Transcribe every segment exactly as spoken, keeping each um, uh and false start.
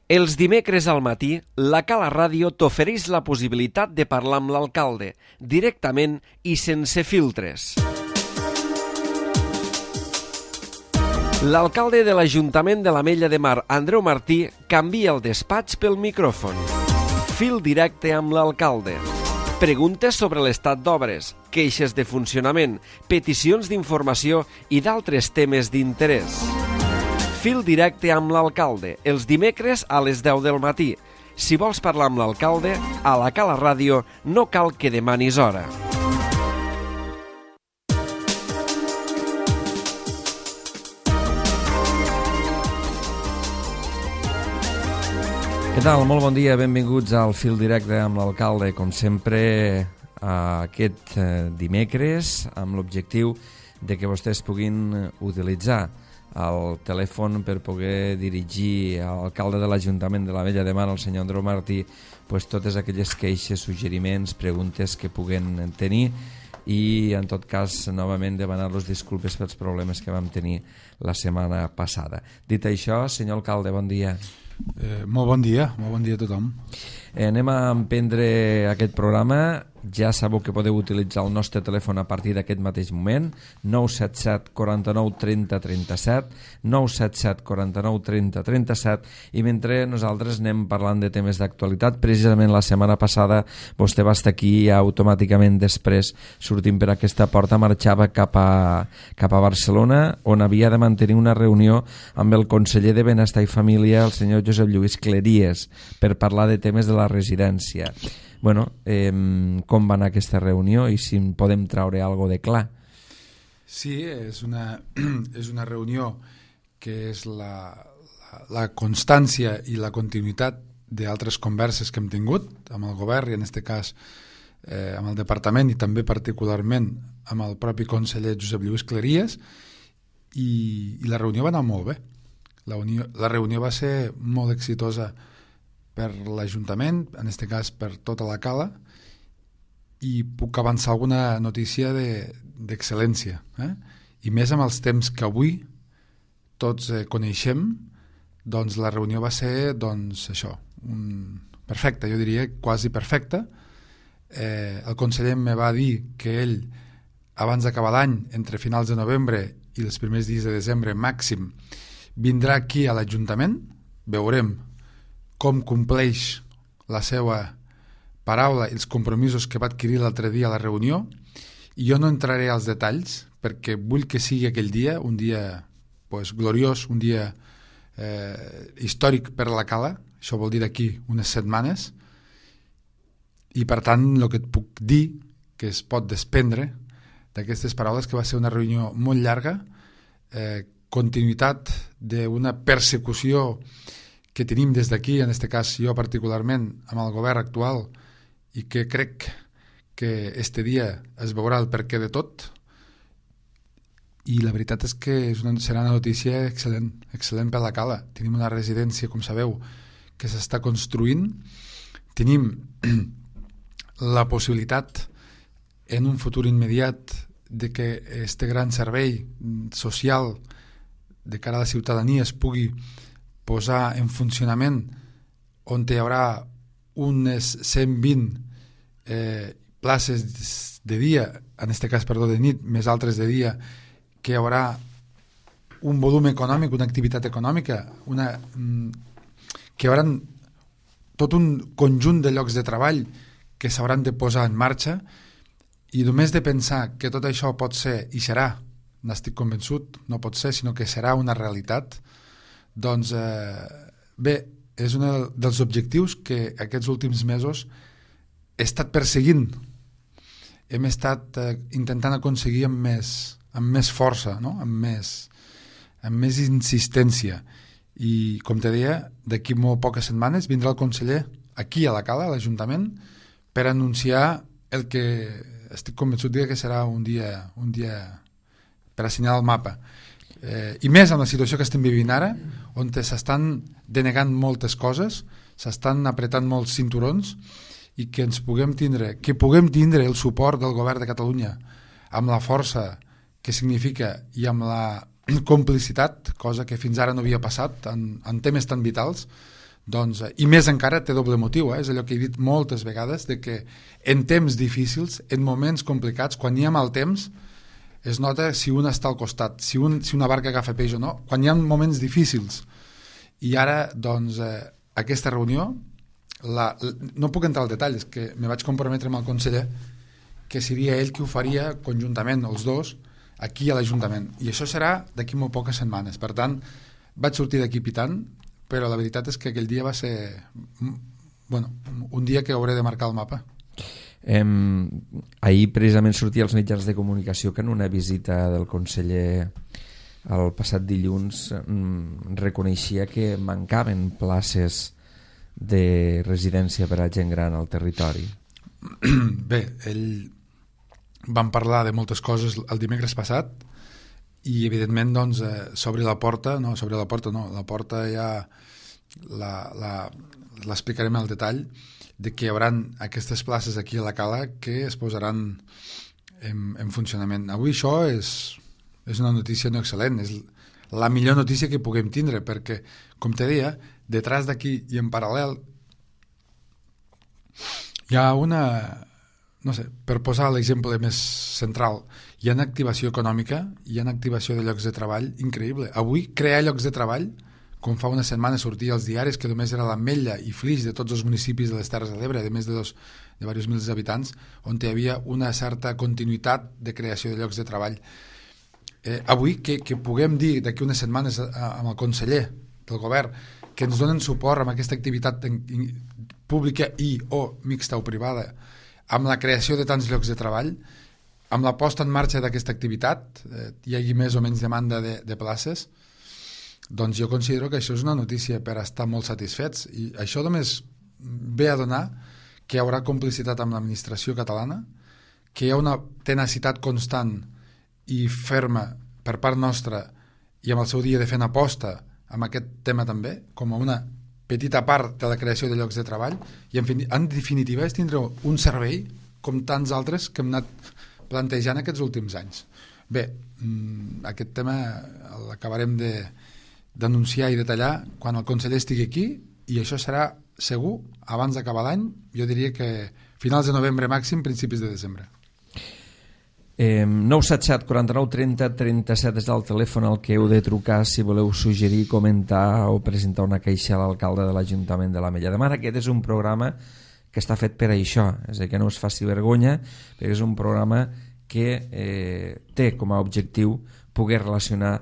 Els dimecres al matí, la Cala Ràdio t'ofereix la possibilitat de parlar amb l'alcalde, directament i sense filtres. L'alcalde de l'Ajuntament de l'Ametlla de Mar, Andreu Martí, canvia el despatx pel micròfon. Fil directe amb l'alcalde. Preguntes sobre l'estat d'obres, queixes de funcionament, peticions d'informació i d'altres temes d'interès. Fil directe amb l'alcalde, els dimecres a les deu del matí. Si vols parlar amb l'alcalde, a la Cala Ràdio no cal que demanis hora. Què tal? Molt bon dia, benvinguts al Fil directe amb l'alcalde, com sempre aquest dimecres, amb l'objectiu de que vostès puguin utilitzar el telèfon per poder dirigir a l'alcalde de l'Ajuntament de l'Ametlla de Mar, el senyor Andreu Martí, pues, totes aquelles queixes, suggeriments, preguntes que puguen tenir i, en tot cas, novament demanar-los disculpes pels problemes que vam tenir la setmana passada. Dit això, senyor alcalde, bon dia. Eh, molt bon dia, molt bon dia a tothom. Eh, anem a emprendre aquest programa. Ja sabeu que podeu utilitzar el nostre telèfon a partir d'aquest mateix moment, nou set set, quaranta-nou, trenta, trenta-set, nou set set, quaranta-nou, trenta, trenta-set, i mentre nosaltres anem parlant de temes d'actualitat, precisament la setmana passada vostè va estar aquí i automàticament després, sortint per aquesta porta, marxava cap a, cap a Barcelona, on havia de mantenir una reunió amb el conseller de Benestar i Família, el senyor Josep Lluís Cleries, per parlar de temes de la residència. Bueno, eh, com va anar aquesta reunió i si en podem traure alguna de clar? Sí, és una, és una reunió que és la, la, la constància i la continuïtat d'altres converses que hem tingut amb el govern i en aquest cas eh, amb el departament i també particularment amb el propi conseller Josep Lluís Cleries i, i la reunió va anar molt bé. La, unió, la reunió va ser molt exitosa per l'Ajuntament, en aquest cas per tota la Cala, i puc avançar alguna notícia d'excel·lència. Eh? I més amb els temps que avui tots eh, coneixem, doncs la reunió va ser doncs, això, un... perfecta, jo diria quasi perfecta. Eh, el conseller me va dir que ell, abans d'acabar l'any, entre finals de novembre i els primers dies de desembre màxim, vindrà aquí a l'Ajuntament, veurem com compleix la seva paraula i els compromisos que va adquirir l'altre dia a la reunió, i jo no entraré als detalls perquè vull que sigui aquell dia un dia pues, gloriós, un dia eh, històric per a la Cala, això vol dir d'aquí unes setmanes, i per tant el que et puc dir que es pot desprendre d'aquestes paraules que va ser una reunió molt llarga, eh, continuïtat d'una persecució que tenim des d'aquí, en aquest cas jo particularment, amb el govern actual, i que crec que este dia es veurà el perquè de tot, i la veritat és que és una, serà una notícia excel·lent, excel·lent per la Cala. Tenim una residència, com sabeu, que s'està construint, tenim la possibilitat en un futur immediat de que este gran servei social de cara a la ciutadania es pugui posar en funcionament, on hi haurà unes cent vint eh, places de dia, en aquest cas, perdó, de nit, més altres de dia, que hi haurà un volum econòmic, una activitat econòmica, una, que hi haurà tot un conjunt de llocs de treball que s'hauran de posar en marxa, i només de pensar que tot això pot ser, i serà, n'estic convençut, no pot ser, sinó que serà una realitat. Doncs eh, bé, és un dels objectius que aquests últims mesos he estat perseguint. Hem estat eh, intentant aconseguir amb més, amb més força, no? amb, més, amb més insistència. I, com te deia, d'aquí molt poques setmanes vindrà el conseller aquí a la Cala, a l'Ajuntament, per anunciar el que estic convençut que serà un dia, un dia per assenyalar el mapa. Eh, i més amb la situació que estem vivint ara, on s'estan denegant moltes coses, s'estan apretant molts cinturons, i que ens puguem tindre, que puguem tindre el suport del govern de Catalunya amb la força que significa i amb la complicitat, cosa que fins ara no havia passat en, en temes tan vitals, doncs, i més encara té doble motiu, eh? És allò que he dit moltes vegades, de que en temps difícils, en moments complicats, quan hi ha mal temps, es nota si un està al costat, si, un, si una barca agafa peix o no, quan hi ha moments difícils. I ara, doncs, eh, aquesta reunió, la, la, no puc entrar al detall, és que me vaig comprometre amb el conseller que seria ell qui ho faria conjuntament, els dos, aquí a l'Ajuntament. I això serà d'aquí molt poques setmanes. Per tant, vaig sortir d'aquí pitant, però la veritat és que aquell dia va ser bueno, un dia que hauré de marcar el mapa. Eh, ahir precisament sortia als mitjans de comunicació que en una visita del conseller el passat dilluns mm, reconeixia que mancaven places de residència per a gent gran al territori. Bé, ell vam parlar de moltes coses el dimecres passat i evidentment doncs eh, s'obri la porta, no, s'obri la porta no, la porta ja l'explicarem al detall, de que hi haurà aquestes places aquí a la Cala que es posaran en, en funcionament. Avui això és, és una notícia no excel·lent, és la millor notícia que puguem tindre, perquè, com te deia, detrás d'aquí i en paral·lel hi ha una, no sé, per posar l'exemple més central, hi ha una activació econòmica, hi ha una activació de llocs de treball increïble. Avui crear llocs de treball, com fa una setmana sortia als diaris que només era l'Ametlla i Flix de tots els municipis de les Terres de l'Ebre, de més de, dos, de diversos mils habitants, on hi havia una certa continuïtat de creació de llocs de treball. Eh, avui, que, que puguem dir d'aquí unes setmanes a, a, amb el conseller del govern que ens donen suport amb aquesta activitat en, in, pública i o mixta o privada, amb la creació de tants llocs de treball, amb la posta en marxa d'aquesta activitat, eh, hi hagi més o menys demanda de, de places, doncs jo considero que això és una notícia per estar molt satisfets, i això només ve a donar que hi haurà complicitat amb l'administració catalana, que hi ha una tenacitat constant i ferma per part nostra i amb el seu dia de fer una aposta amb aquest tema també, com a una petita part de la creació de llocs de treball, i en, fin, en definitiva és tindre un servei com tants altres que hem anat plantejant aquests últims anys. Bé, aquest tema l'acabarem de d'anunciar i detallar quan el conseller estigui aquí, i això serà segur abans d'acabar l'any, jo diria que finals de novembre màxim, principis de desembre. Eh, nou set set quaranta-nou trenta trenta-set és el telèfon al que heu de trucar si voleu suggerir, comentar o presentar una queixa a l'alcalde de l'Ajuntament de l'Ametlla de Mar. Aquest és un programa que està fet per això, és a dir, que no us faci vergonya, perquè és un programa que eh, té com a objectiu poder relacionar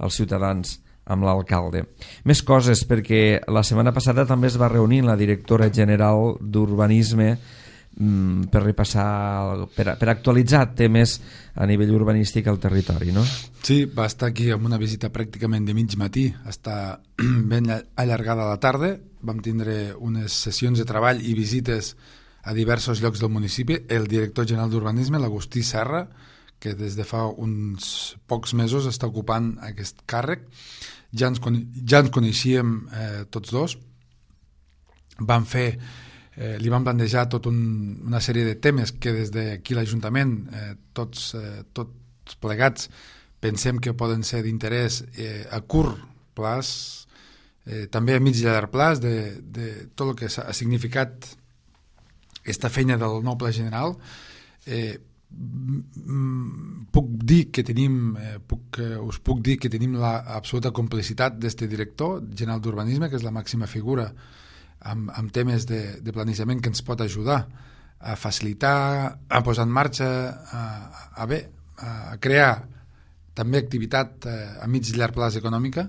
els ciutadans amb l'alcalde. Més coses, perquè la setmana passada també es va reunir la directora general d'Urbanisme mm, per repassar, per, per actualitzar temes a nivell urbanístic al territori, no? Sí, va estar aquí amb una visita pràcticament de mig matí, està ben allargada a la tarda, vam tindre unes sessions de treball i visites a diversos llocs del municipi. El director general d'Urbanisme, l'Agustí Serra, que des de fa uns pocs mesos està ocupant aquest càrrec. Ja ens, ja ens coneixíem eh, tots dos. Vam fer, eh, li vam plantejar tot un, una sèrie de temes que des d'aquí l'Ajuntament, eh, tots, eh, tots plegats, pensem que poden ser d'interès eh, a curt plaç, eh, també a mig i a llarg plaç, de, de tot el que ha significat aquesta feina del nou pla general. Eh, puc dir que tenim eh, puc, eh, us puc dir que tenim la absoluta complicitat d'este director general d'Urbanisme, que és la màxima figura amb, amb temes de, de planejament, que ens pot ajudar a facilitar, a posar en marxa, a, a bé, a crear també activitat eh, a mig i llarg plaç econòmica,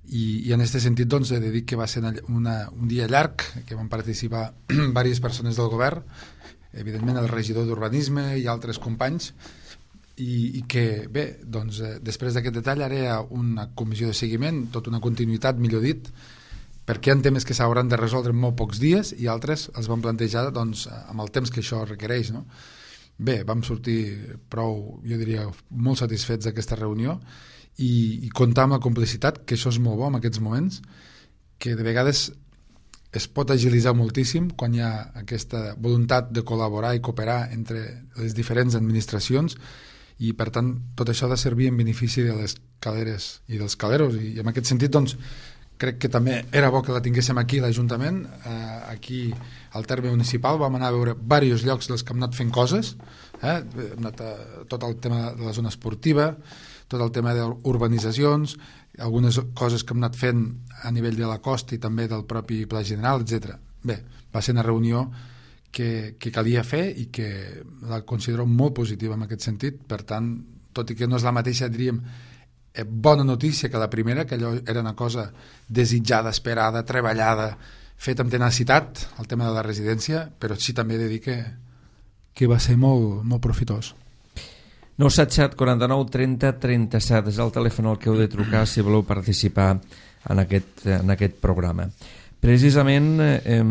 i, i en aquest sentit doncs he de dir que va ser una, un dia llarg, que van participar diverses persones del govern, evidentment el regidor d'Urbanisme i altres companys, i, i que bé, doncs eh, després d'aquest detall ara hi ha una comissió de seguiment, tota una continuïtat, millor dit, perquè hi ha temes que s'hauran de resoldre en molt pocs dies i altres els vam plantejar doncs, amb el temps que això requereix, no? Bé, vam sortir prou, jo diria, molt satisfets d'aquesta reunió, i, i comptar amb la complicitat, que això és molt bo en aquests moments, que de vegades es pot agilitzar moltíssim quan hi ha aquesta voluntat de col·laborar i cooperar entre les diferents administracions, i per tant tot això ha de servir en benefici de les caleres i dels caleros, i en aquest sentit doncs crec que també era bo que la tinguéssim aquí l'Ajuntament, eh, aquí al terme municipal vam anar a veure diversos llocs dels que hem anat fent coses, eh? Hem anat a, tot el tema de la zona esportiva, tot el tema d'urbanitzacions, algunes coses que hem anat fent a nivell de la costa i també del propi Pla General, etcètera. Bé, va ser una reunió que, que calia fer i que la considero molt positiva en aquest sentit. Per tant, tot i que no és la mateixa, diríem, bona notícia que la primera, que allò era una cosa desitjada, esperada, treballada, feta amb tenacitat, el tema de la residència, però sí també he de dir que, que va ser molt, molt profitós. nou set set, quaranta-nou, trenta, trenta-set és el telèfon al que heu de trucar si voleu participar en aquest, en aquest programa. Precisament eh,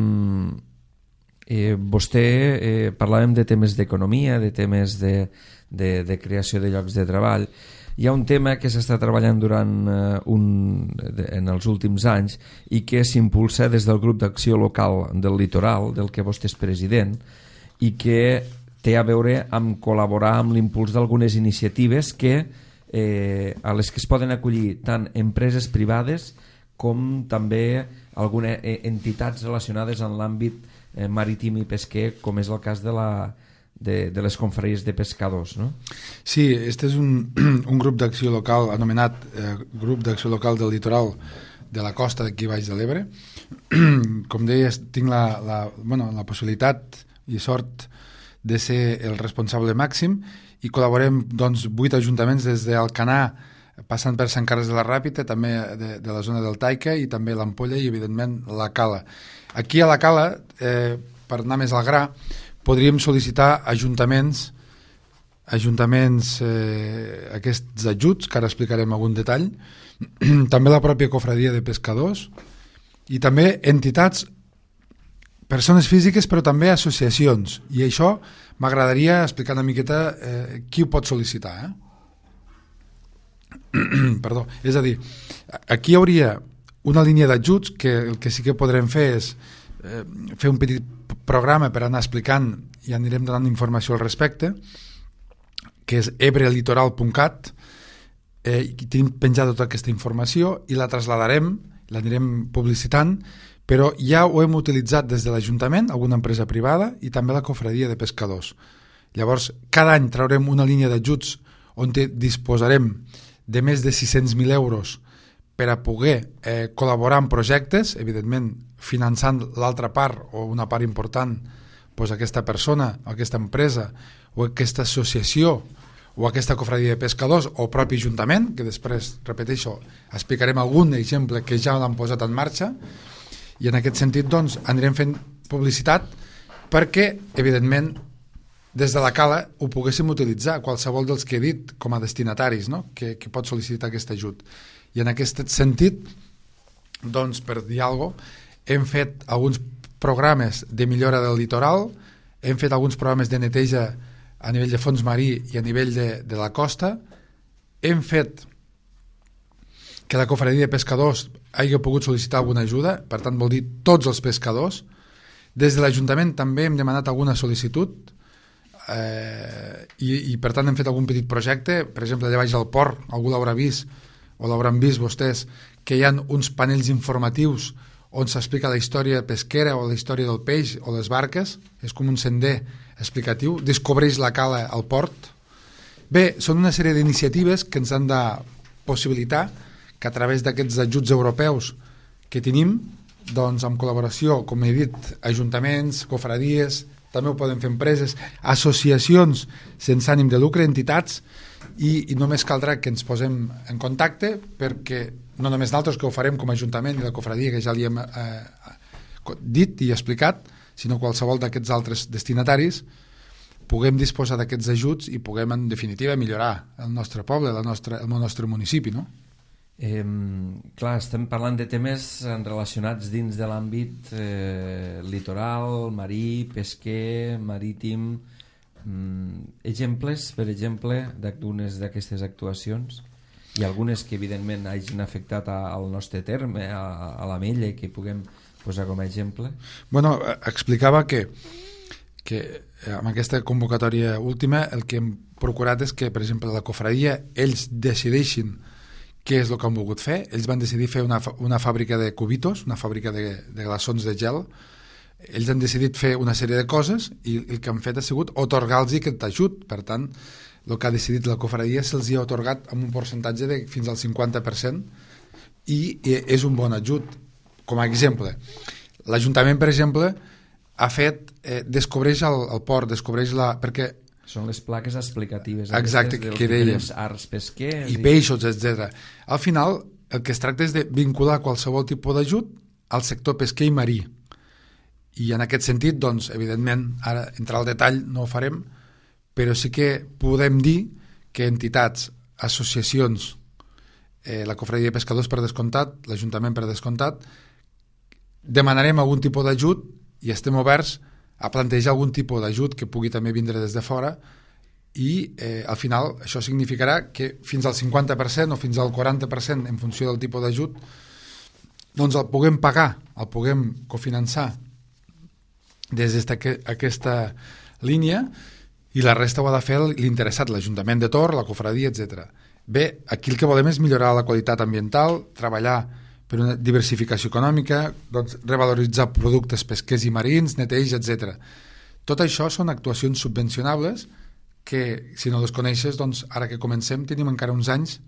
eh, vostè eh, parlàvem de temes d'economia, de temes de, de, de creació de llocs de treball. Hi ha un tema que s'està treballant durant uh, un, de, en els últims anys i que s'impulsa des del grup d'acció local del litoral, del que vostè és president, i que té a veure amb col·laborar amb l'impuls d'algunes iniciatives que, eh, a les que es poden acollir tant empreses privades com també algunes entitats relacionades en l'àmbit eh, marítim i pesquer, com és el cas de la De, de les confraries de pescadors, no? Sí, este és un, un grup d'acció local anomenat eh, Grup d'Acció Local del Litoral de la costa d'aquí baix de l'Ebre. Com deies, tinc la, la, bueno, la possibilitat i sort de ser el responsable màxim i col·laborem doncs, vuit ajuntaments des d'Alcanar, passant per Sant Carles de la Ràpita, també de, de la zona del Taica i també l'Ampolla i evidentment la Cala. Aquí a la Cala, eh, per anar més al gra, podríem sol·licitar ajuntaments ajuntaments eh, aquests ajuts, que ara explicarem algun detall, també la pròpia cofradia de pescadors i també entitats, persones físiques però també associacions, i això m'agradaria explicar una miqueta eh, qui ho pot sol·licitar, eh? Perdó, és a dir, aquí hi hauria una línia d'ajuts que el que sí que podrem fer és eh, fer un petit programa per anar explicant i anirem donant informació al respecte, que és ebrelitoral punt cat, eh, i tenim penjada tota aquesta informació i la trasladarem, l'anirem publicitant, però ja ho hem utilitzat des de l'Ajuntament, alguna empresa privada i també la cofradia de pescadors. Llavors, cada any traurem una línia d'ajuts on disposarem de més de sis-cents mil euros per a poder eh, col·laborar en projectes, evidentment finançant l'altra part o una part important, doncs aquesta persona, aquesta empresa o aquesta associació o aquesta cofradia de pescadors o propi ajuntament, que després, repeteixo, explicarem algun exemple que ja l'han posat en marxa, i en aquest sentit doncs, anirem fent publicitat perquè, evidentment, des de la Cala ho poguéssim utilitzar, qualsevol dels que he dit com a destinataris, no? que, que pot sol·licitar aquest ajut. I en aquest sentit, doncs, per dir alguna cosa, hem fet alguns programes de millora del litoral, hem fet alguns programes de neteja a nivell de fons marí i a nivell de, de la costa, hem fet que la cofradia de pescadors hagi pogut sol·licitar alguna ajuda, per tant vol dir tots els pescadors. Des de l'Ajuntament també hem demanat alguna sol·licitud eh, i, i per tant hem fet algun petit projecte, per exemple allà baix al port, algú l'haurà vist o l'hauran vist vostès, que hi ha uns panells informatius on s'explica la història pesquera o la història del peix o les barques, és com un sender explicatiu, descobreix la Cala al port. Bé, són una sèrie d'iniciatives que ens han de possibilitar que a través d'aquests ajuts europeus que tenim, doncs amb col·laboració, com he dit, ajuntaments, cofradies, també ho poden fer empreses, associacions sense ànim de lucre, entitats, i, i només caldrà que ens posem en contacte perquè no només nosaltres que ho farem com a Ajuntament i la cofradia que ja li hem eh, dit i explicat, sinó qualsevol d'aquests altres destinataris puguem disposar d'aquests ajuts i puguem en definitiva millorar el nostre poble, la nostra, el nostre municipi, no? Eh, clar, estem parlant de temes relacionats dins de l'àmbit eh, litoral, marí, pesquer, marítim. Mm, exemples, per exemple, d'algunes d'aquestes actuacions i algunes que evidentment hagin afectat a, al nostre terme, a, a la Mella, i que puguem posar com a exemple. Bueno, explicava que, que amb aquesta convocatòria última el que hem procurat és que, per exemple, la cofradia, ells decideixin què és el que han volgut fer. Ells van decidir fer una, una fàbrica de cubitos, una fàbrica de, de glaçons de gel. Ells han decidit fer una sèrie de coses i el que han fet ha sigut otorgar-los aquest ajut. Per tant, el que ha decidit la cofradia se'ls ha otorgat amb un percentatge de fins al cinquanta per cent i és un bon ajut. Com a exemple, l'Ajuntament, per exemple, ha fet, eh, descobreix el, el port, descobreix la... perquè són les plaques explicatives. Exacte, que dèiem. Arts pesquers. I, i peixos, etcètera. Al final, el que es tracta és de vincular qualsevol tipus d'ajut al sector pesquer i marí. I en aquest sentit, doncs, evidentment, ara entrar al detall no ho farem, però sí que podem dir que entitats, associacions, eh, la Cofradia de Pescadors per descomptat, l'Ajuntament per descomptat, demanarem algun tipus d'ajut i estem oberts a plantejar algun tipus d'ajut que pugui també vindre des de fora i eh, al final això significarà que fins al cinquanta per cent o fins al quaranta per cent en funció del tipus d'ajut doncs el puguem pagar, el puguem cofinançar des d'aquesta línia i la resta ho ha de fer l'interessat, l'Ajuntament de Tor, la cofradia, etcètera. Bé, aquí el que volem és millorar la qualitat ambiental, treballar per una diversificació econòmica, doncs, revaloritzar productes pesquers i marins, neteja, etcètera. Tot això són actuacions subvencionables que, si no les coneixes, doncs, ara que comencem tenim encara uns anys,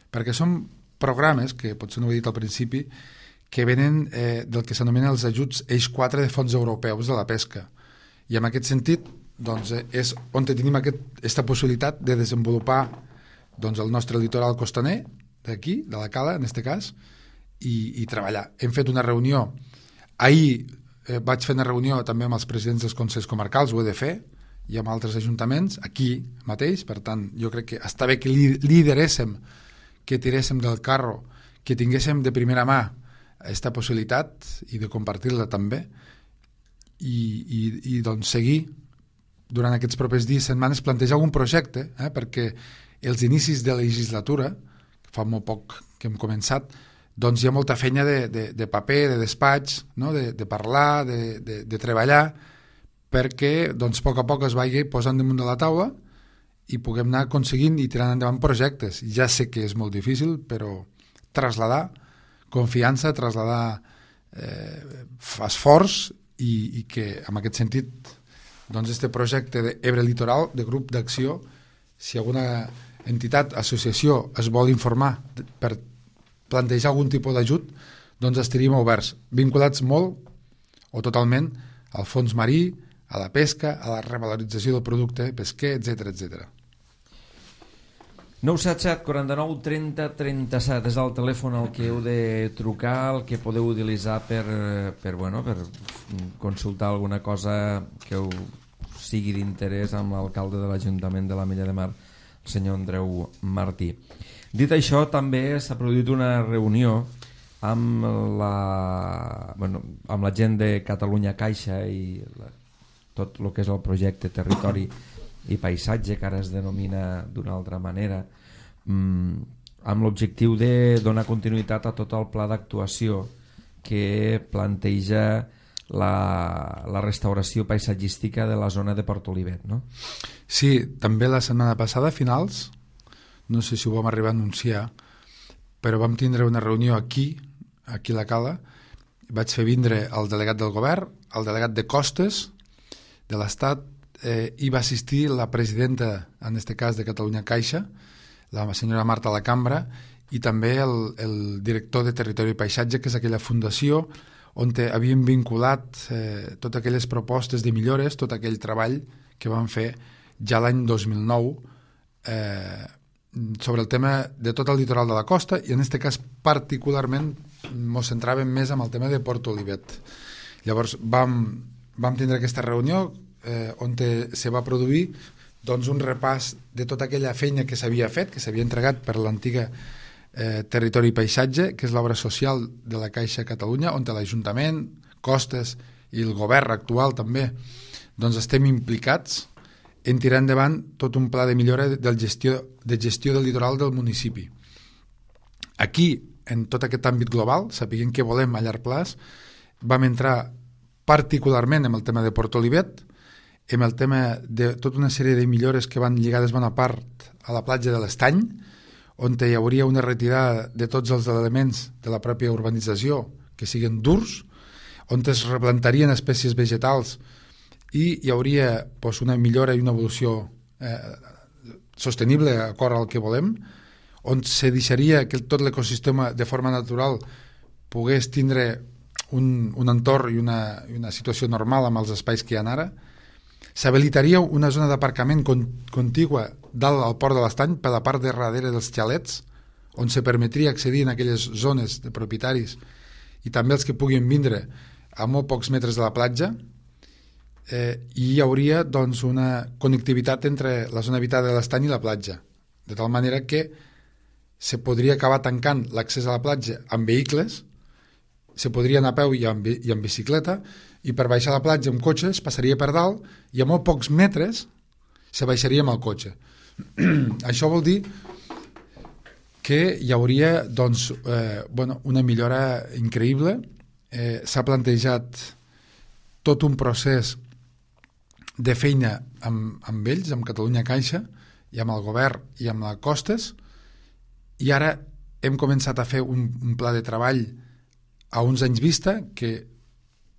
perquè són programes, que potser no ho he dit al principi, que venen eh, del que s'anomena els ajuts Eix quatre de fons europeus de la pesca. I en aquest sentit, doncs, és on tenim aquesta possibilitat de desenvolupar doncs, el nostre litoral costaner, d'aquí, de la Cala, en aquest cas, I, i treballar. Hem fet una reunió ahir eh, vaig fer una reunió també amb els presidents dels consells comarcals, ho he de fer, i amb altres ajuntaments aquí mateix, per tant jo crec que està bé que lideréssim, que tiréssim del carro, que tinguéssim de primera mà aquesta possibilitat i de compartir-la també i, i, i doncs seguir durant aquests propers dies, setmanes, plantejar algun projecte, eh, perquè els inicis de legislatura, fa molt poc que hem començat, doncs hi ha molta feina de, de, de paper, de despatx, no? de, de parlar, de, de, de treballar, perquè doncs, a poc a poc es vagi posant damunt de la taula i puguem anar aconseguint i tirant endavant projectes. Ja sé que és molt difícil, però trasladar confiança, trasladar eh, esforç i, i que en aquest sentit doncs, este projecte d'Ebre Litoral, de grup d'acció, si alguna entitat, associació es vol informar per plantejar algun tipus d'ajut, doncs estaríem oberts, vinculats molt o totalment al fons marí, a la pesca, a la revalorització del producte pesquer, etcètera, etcètera. nou set set, quaranta-nou, trenta, trenta-set és el telèfon al que heu de trucar, el que podeu utilitzar per, per, bueno, per consultar alguna cosa que us sigui d'interès amb l'alcalde de l'Ajuntament de l'Ametlla de Mar, el senyor Andreu Martí. Dit això, també s'ha produït una reunió amb la, bueno, amb la gent de Catalunya Caixa i la, tot el que és el projecte Territori i Paisatge, que ara es denomina d'una altra manera, mmm, amb l'objectiu de donar continuïtat a tot el pla d'actuació que planteja la, la restauració paisatgística de la zona de Port Olivet, no? Sí, també la setmana passada, a finals, no sé si ho vam arribar a anunciar, però vam tindre una reunió aquí, aquí a la Cala, vaig fer vindre el delegat del govern, el delegat de Costes de l'Estat, eh, i va assistir la presidenta, en aquest cas de Catalunya Caixa, la senyora Marta Lacambra, i també el, el director de Territori i Paisatge, que és aquella fundació on havíem vinculat eh, totes aquelles propostes de millores, tot aquell treball que vam fer ja l'any dos mil nou eh, sobre el tema de tot el litoral de la costa i en aquest cas particularment ens centràvem més en el tema de Port Olivet. Llavors vam, vam tindre aquesta reunió eh, on te, se va produir doncs, un repàs de tota aquella feina que s'havia fet, que s'havia entregat per l'antiga eh, Territori i Paisatge, que és l'obra social de la Caixa Catalunya, on l'Ajuntament, Costes i el govern actual també doncs estem implicats en tirar endavant tot un pla de millora de gestió, de gestió del litoral del municipi. Aquí, en tot aquest àmbit global, sapiguem què volem a llarg plaç, vam entrar particularment en el tema de Port Olivet, en el tema de tota una sèrie de millores que van lligades bona part a la platja de l'Estany, on hi hauria una retirada de tots els elements de la pròpia urbanització que siguin durs, on es replantarien espècies vegetals i hi hauria pues, una millora i una evolució eh, sostenible d'acord al que volem, on se deixaria que tot l'ecosistema de forma natural pogués tindre un, un entorn i una, i una situació normal amb els espais que hi ha ara. S'habilitaria una zona d'aparcament con, contigua dalt al port de l'Estany per la part de darrere dels xalets, on se permetria accedir en aquelles zones de propietaris i també els que puguin vindre a molt pocs metres de la platja, eh, i hi hauria doncs, una connectivitat entre la zona habitada de l'Estany i la platja, de tal manera que se podria acabar tancant l'accés a la platja amb vehicles, se podria anar a peu i amb, i amb bicicleta, i per baixar a la platja amb cotxe es passaria per dalt i a molt pocs metres se baixaria amb el cotxe. Això vol dir que hi hauria doncs, eh, bueno, una millora increïble. Eh, s'ha plantejat tot un procés de feina amb, amb ells, amb Catalunya Caixa i amb el govern i amb la Costes, i ara hem començat a fer un, un pla de treball a uns anys vista que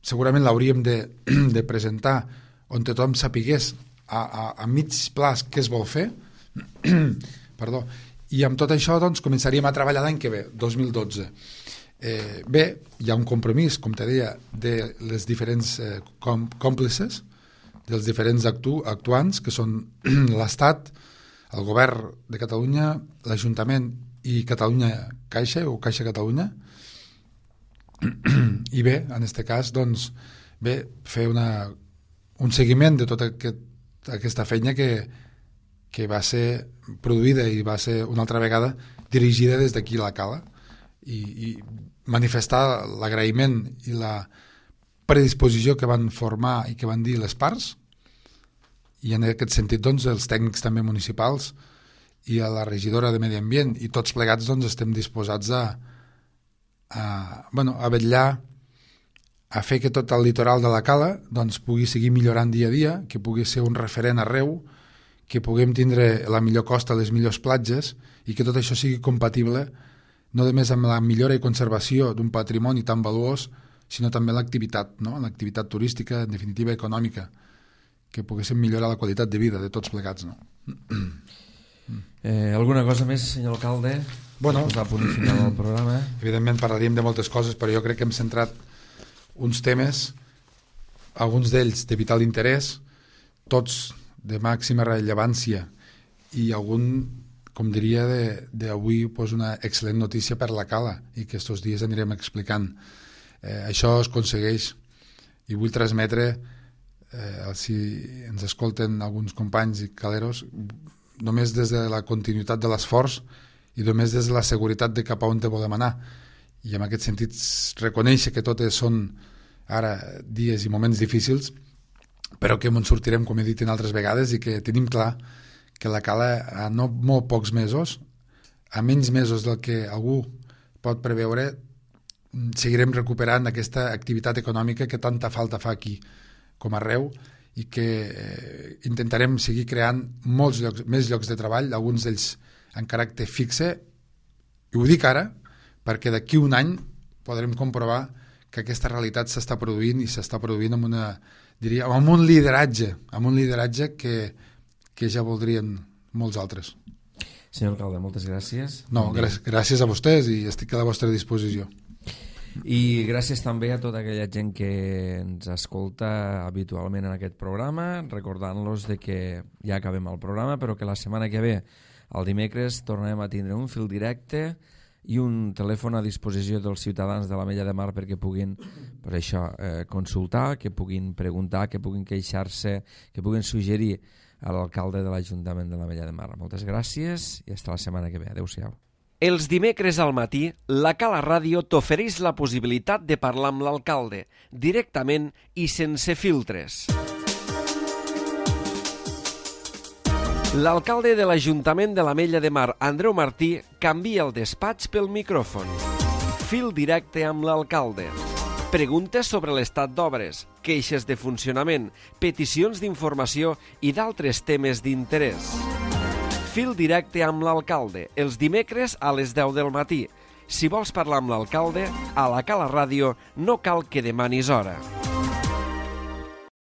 segurament l'hauríem de, de presentar on tothom sapigués a, a, a mig plaç què es vol fer. Perdó. I amb tot això doncs, començaríem a treballar l'any que ve, dos mil dotze. Eh, bé, hi ha un compromís, com te deia, de les diferents eh, còmplices, dels diferents actu actuants, que són l'Estat, el govern de Catalunya, l'Ajuntament i Catalunya Caixa, o Caixa Catalunya. I bé, en aquest cas, doncs, bé, fer una, un seguiment de tota aquest, aquesta feina que, que va ser produïda i va ser una altra vegada dirigida des d'aquí a la Cala, i, i manifestar l'agraïment i la predisposició que van formar i que van dir les parts, i en aquest sentit doncs, els tècnics també municipals i a la regidora de Medi Ambient i tots plegats doncs, estem disposats a, a, bueno, a vetllar a fer que tot el litoral de la Cala doncs, pugui seguir millorant dia a dia, que pugui ser un referent arreu, que puguem tindre la millor costa, les millors platges, i que tot això sigui compatible no només amb la millora i conservació d'un patrimoni tan valuós, sinó també l'activitat, no? L'activitat turística, en definitiva econòmica, que poguéssim millorar la qualitat de vida de tots plegats. No? Eh, alguna cosa més, senyor alcalde? Bueno, posar punt i final al programa. Evidentment parlaríem de moltes coses, però jo crec que hem centrat uns temes, alguns d'ells de vital interès, tots de màxima rellevància, i algun, com diria, d'avui pues, una excel·lent notícia per la Cala, i que estos dies anirem explicant. Eh, això es aconsegueix, i vull transmetre, eh, si ens escolten alguns companys i caleros, només des de la continuïtat de l'esforç i només des de la seguretat de cap a on te volem anar. I en aquest sentit reconèixer que totes són ara dies i moments difícils, però que ens sortirem, com he dit en altres vegades, i que tenim clar que la Cala a no molt pocs mesos, a menys mesos del que algú pot preveure, seguirem recuperant aquesta activitat econòmica que tanta falta fa aquí com arreu, i que eh, intentarem seguir creant molts llocs, més llocs de treball, alguns d'ells en caràcter fixe, i ho dic ara perquè d'aquí un any podrem comprovar que aquesta realitat s'està produint, i s'està produint amb una, diria, amb un lideratge, amb un lideratge que, que ja voldrien molts altres. Senyor alcalde, moltes gràcies. No, gràcies, gràcies a vostès, i estic a la vostra disposició. I gràcies també a tota aquella gent que ens escolta habitualment en aquest programa, recordant-los de que ja acabem el programa, però que la setmana que ve, el dimecres, tornarem a tindre un fil directe i un telèfon a disposició dels ciutadans de l'Ametlla de Mar perquè puguin, per això, eh, consultar, que puguin preguntar, que puguin queixar-se, que puguin suggerir a l'alcalde de l'Ajuntament de l'Ametlla de Mar. Moltes gràcies i fins la setmana que ve. Adéu-siau. Els dimecres al matí, la Cala Ràdio t'ofereix la possibilitat de parlar amb l'alcalde, directament i sense filtres. L'alcalde de l'Ajuntament de l'Ametlla de Mar, Andreu Martí, canvia el despatx pel micròfon. Fil directe amb l'alcalde. Preguntes sobre l'estat d'obres, queixes de funcionament, peticions d'informació i d'altres temes d'interès. Fil directe amb l'alcalde, els dimecres a les deu del matí. Si vols parlar amb l'alcalde, a la Cala Ràdio no cal que demanis hora.